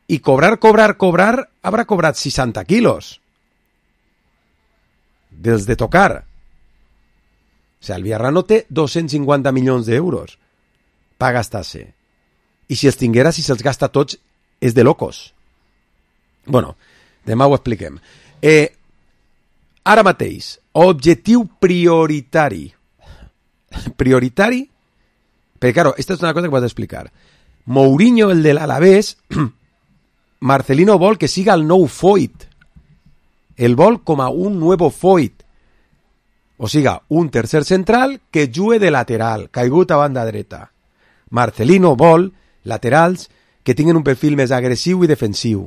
I cobrar, haurà cobrat 60 quilos. Dels de tocar. O sigui, el Villarreal no té 250 milions d'euros per gastar-se. I si els tinguera, si se'ls gasta tots, és de locos. Bueno, demà ho expliquem. Ara mateix, objectiu prioritari. Prioritari? Perquè, claro, esta és una cosa que vaig explicar. Mourinho, el de l'Alavés, Marcelino vol que siga el nou Foyt. El vol com a un nuevo Foyt. O siga, un tercer central que jugue de lateral, caigut a banda dreta. Marcelino vol laterals que tinguin un perfil més agressiu i defensiu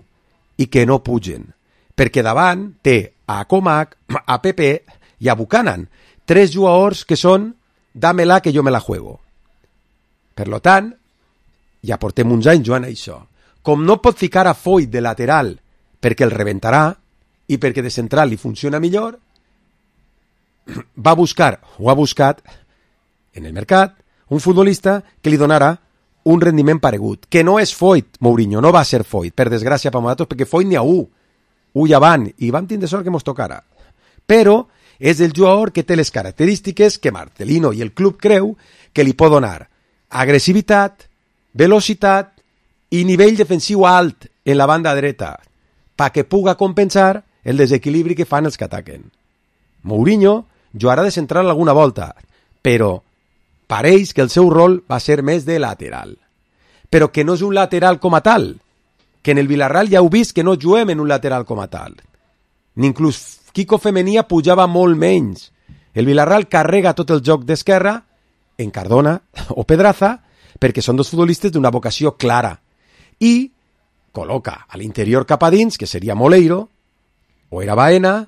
i que no pugen. Perquè davant té a Comac, a Pepe i a Buchanan, 3 jugadors que són dámela que jo me la juego. Per lo tant, ja portem uns anys jugant a això. Com no pot ficar a Foyt de lateral perquè el rebentarà i perquè de central li funciona millor, va buscar, o ha buscat, en el mercat, un futbolista que li donarà un rendiment paregut, que no és Foyt, Mourinho, no va ser Foyt, per desgràcia per nosaltres, perquè Foyt n'hi ha un ja van, i vam tindre sort que mos tocara. Però és el jugador que té les característiques que Marcelino i el club creu que li pot donar agressivitat, velocitat i nivell defensiu alt en la banda dreta, perquè puga compensar el desequilibri que fan els que ataquen. Mourinho jugarà de central alguna volta, però pareix que el seu rol va ser més de lateral. Però que no és un lateral com a tal, que en el Villarreal ja heu vist que no juguem en un lateral com a tal. Ni inclús Kiko Femenia pujava molt menys. El Villarreal carrega tot el joc d'esquerra en Cardona o Pedraza perquè són dos futbolistes d'una vocació clara i col·loca a l'interior cap a dins, que seria Moleiro o era Baena,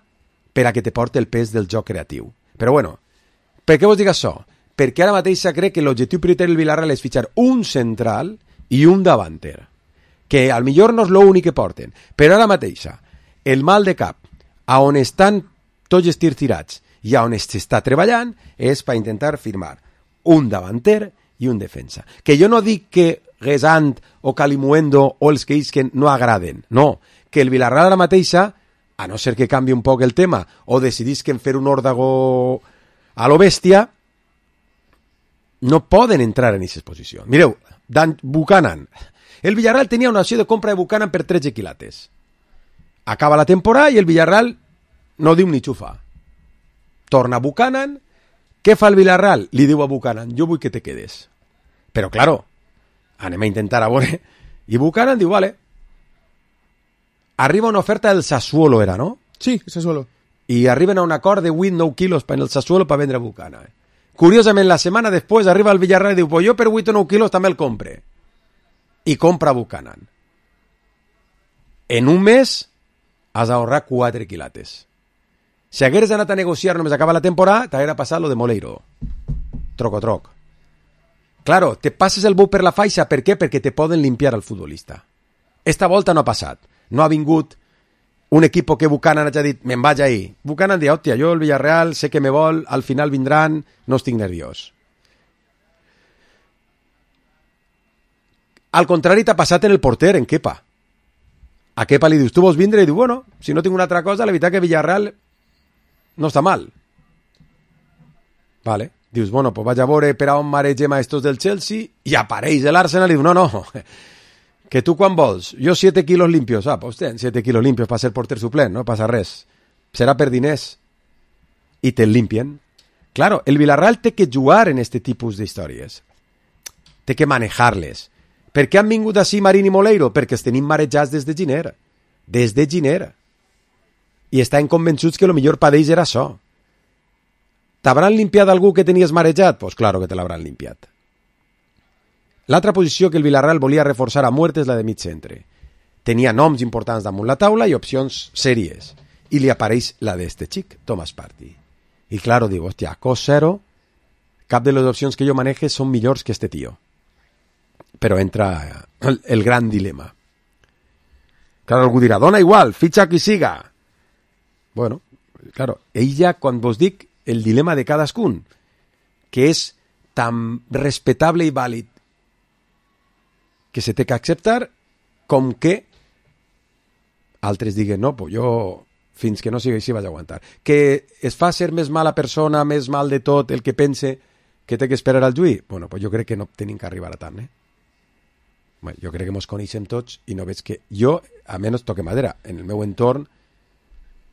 per a que te porti el pes del joc creatiu. Però bueno, per què vos dic això? Perquè ara mateix se crec que l'objectiu prioritari del Villarreal és fitxar un central i un davanter, que al millor no és l'únic que porten, però ara mateix el mal de cap a on estan tots els tirs tirats i a on s'està treballant és per intentar firmar un davanter i un defensa. Que jo no dic que Gesant o Calimuendo o els que isquen no agraden, no, que el Villarreal ara mateixa, a no ser que canvi un poc el tema o decidisquen fer un òrdago a lo bèstia, no poden entrar en aquesta posició. Mireu, Dan Buchanan. El Villarreal tenia una opció de compra de Buchanan per 13 quilates. Acaba la temporada i el Villarreal no diu ni xufa. Torna Buchanan. Què fa el Villarreal? Li diu a Buchanan, jo vull que te quedes. Però, claro, anem a intentar a veure. I Buchanan diu, vale. Arriba una oferta del Sassuolo, era, no? Sí, Sassuolo. I arriben a un acord de 8-9 quilos per el Sassuolo per vendre Buchanan. Curiosament, la setmana després arriba el Villarreal i diu, pues jo per 8 o 9 quilos també el compre. I compra Buchanan. En un mes has d'ahorrar 4 quilates. Si hagueres anat a negociar només acaba la temporada, t'haguera passat lo de Moleiro. Troc. Claro, te passes el bou per la faixa, per què? Perquè te poden limpiar al futbolista. Esta volta no ha passat. No ha vingut un equip que Buchanan hagi dit, me'n vaig ahir. Buchanan diu, hòstia, jo el Villarreal sé que me vol, al final vindran, no estic nerviós. Al contrari t'ha passat en el porter, en Kepa. A Kepa li dius, tu vols vindre? I diu, bueno, si no tinc una altra cosa, la veritat que Villarreal no està mal. Vale. Dius, bueno, pues vaig a veure per a on maregem a estos del Chelsea i apareix l'Arsenal i diu, no, que tu quan vols? Jo 7 quilos limpios. Pues ten 7 quilos limpios per ser porter suplent, no passa res. Serà per diners. I te'l limpien. Claro, el Villarreal té que jugar en este tipus d'històries. Té que manejar-les. Per què han vingut així Marín i Moleiro? Perquè els tenim marejats des de Giner. Des de Giner. I estan convençuts que el millor per ells era això. T'hauran limpiat algú que tenies marejat? Pues claro que te l'hauran limpiat. L'altra posició que el Villarreal volia reforçar a muerte és la de mig centre. Tenia noms importants damunt la taula i opcions sèries. I li apareix la d'este xic, Thomas Partey. I claro, digo, hostia, cost zero, cap de les opcions que jo maneje són millors que este tio. Però entra el gran dilema. Claro, algú dirà, dona igual, fitxa qui siga. Bueno, claro, ella, quan vos dic el dilema de cadascun, que és tan respetable i vàlid que se té que acceptar, com que altres diguen, no, pues jo fins que no sigui així vaig aguantar. Que es fa ser més mala persona, més mal de tot, el que pense que té que esperar al juí? Bueno, pues jo crec que no tenim que arribar a tant, Bueno, jo crec que mos coneixem tots i no veig que... Jo, a menys toque madera, en el meu entorn,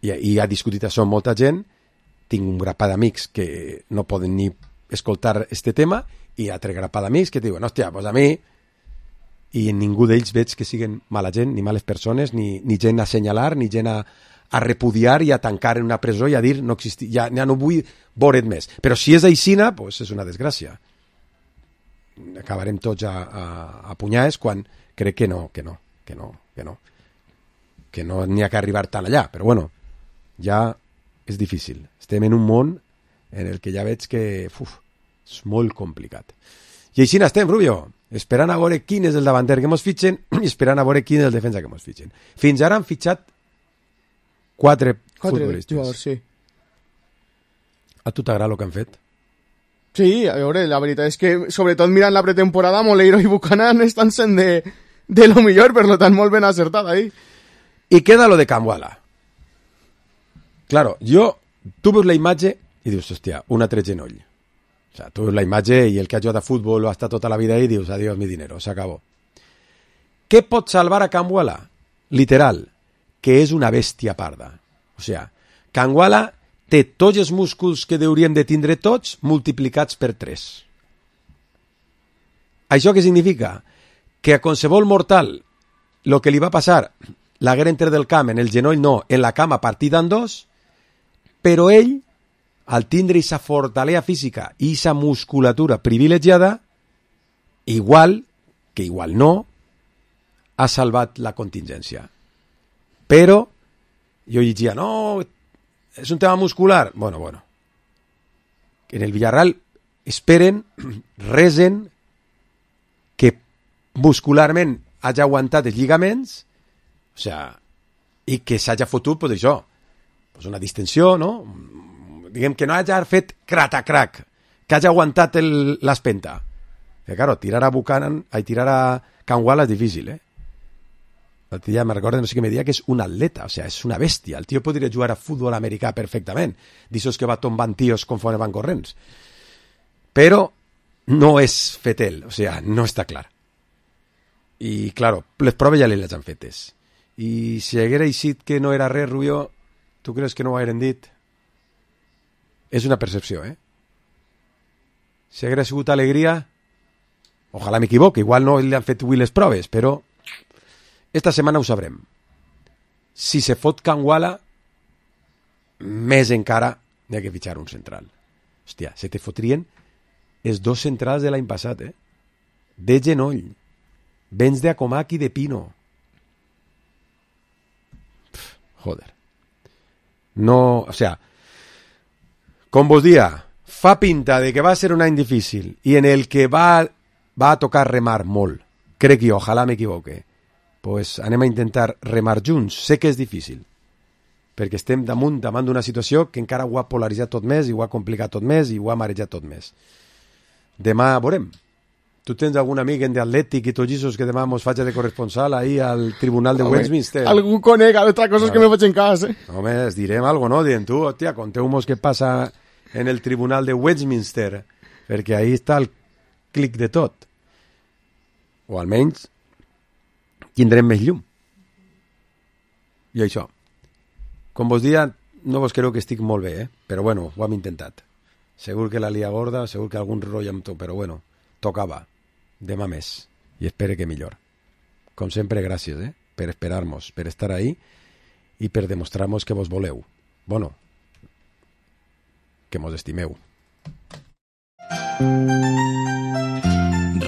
i ha discutit això amb molta gent, tinc un grapat d'amics que no poden ni escoltar este tema i altre grapat d'amics que diuen, hòstia, pues a mi... I en ningú d'ells veig que siguin mala gent, ni males persones, ni gent a assenyalar, ni gent a repudiar i a tancar en una presó i a dir no existir, ja no vull veure't més. Però si és aixina, pues és una desgràcia. Acabarem tots a punyades quan crec que no n'hi ha que arribar tan allà. Però bueno, ja és difícil. Estem en un món en el que ja veig que és molt complicat. I així n'estem, Rubio, esperant a veure quin és el davanter que mos fitxen i esperant a veure quin és el defensa que mos fitxen. Fins ara han fitxat 4 futbolistes. Jugadors, sí. A tu t'agrada el que han fet? Sí, a veure, la veritat és que, sobretot mirant la pretemporada, Moleiro i Buchanan estan sent de lo millor, per tant, molt ben acertat ahí. I queda lo de Camwala. Claro, tu veus la imatge i dius, hòstia, un altre genoll. O sea, tu veus la imatge i el que ha jugat a futbol ha estat tota la vida ahí i dius, adiós mi dinero, s'acabó. Què pot salvar a Camwala? Literal, que és una bèstia parda. O sea, Camwala té tots els músculs que hauríem de tindre tots multiplicats per 3. Això què significa? Que a qualsevol mortal el que li va passar l'haguera entre del camp, en el genoll no, en la cama partida en 2, però ell, al tindre aquesta fortalesa física i aquesta musculatura privilegiada, igual que igual no, ha salvat la contingència. Però jo llegia, no, és un tema muscular. Bueno. En el Villarreal esperen, resen, que muscularment hagi aguantat els lligaments, o sea, i que s'hagi fotut, pues això, pues una distensió, no? Diguem que no hagi fet crac, que hagi aguantat l'espenta. Que, claro, tirar a Camwala és difícil, L'altre dia me recordo, no sé què me deia, que és un atleta, o sea, és una bèstia. El tio podria jugar a futbol americà perfectament, d'aixòs que va tombant tios conforme van corrents. Però no és fetel, o sea, no està clar. I, claro, les proves ja les han fetes. I si haguera eixit que no era res, Rubio, tu creus que no ho hagueren dit? És una percepció, Si haguera sigut alegria, ojalà m'equivoque, igual no li han fet avui les proves, però esta setmana ho sabrem. Si se fot Camwala, més encara n'hi ha que fitxar un central. Hòstia, se te fotrien els 2 centrals de l'any passat, de genoll. Vens de Acomac i de Pino. Joder. No, o sea, com vos dia, fa pinta de que va ser un any difícil i en el que va a tocar remar molt. Crec jo, ojalà m'equivoque. Pues anem a intentar remar junts. Sé que és difícil, perquè estem davant d'una situació que encara ho ha polaritzat tot més i ho ha complicat tot més i ho ha marejat tot més. Demà veurem. Tu tens algun amic en d'Atlètic i tots aquests que demà mos faig de corresponsal ahir al Tribunal de Westminster? Algú conec, altra cosa que me faig en cas, Home, es direm alguna cosa, no? Dient tu, hòstia, conteu-mos què passa en el Tribunal de Westminster, perquè ahí està el clic de tot. O almenys tindrem més llum. I això. Com vos dia, no vos creu que estic molt bé, però bueno, ho hem intentat. Segur que la lia gorda, segur que algun rotllo amb tu, però bueno, tocava. Demà més. I espere que millor. Com sempre, gràcies, per esperar-nos, per estar ahí i per demostrar-nos que vos voleu. Bueno, que mos estimeu.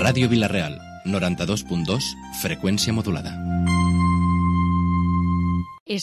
Ràdio Vila-real, 92.2, freqüència modulada.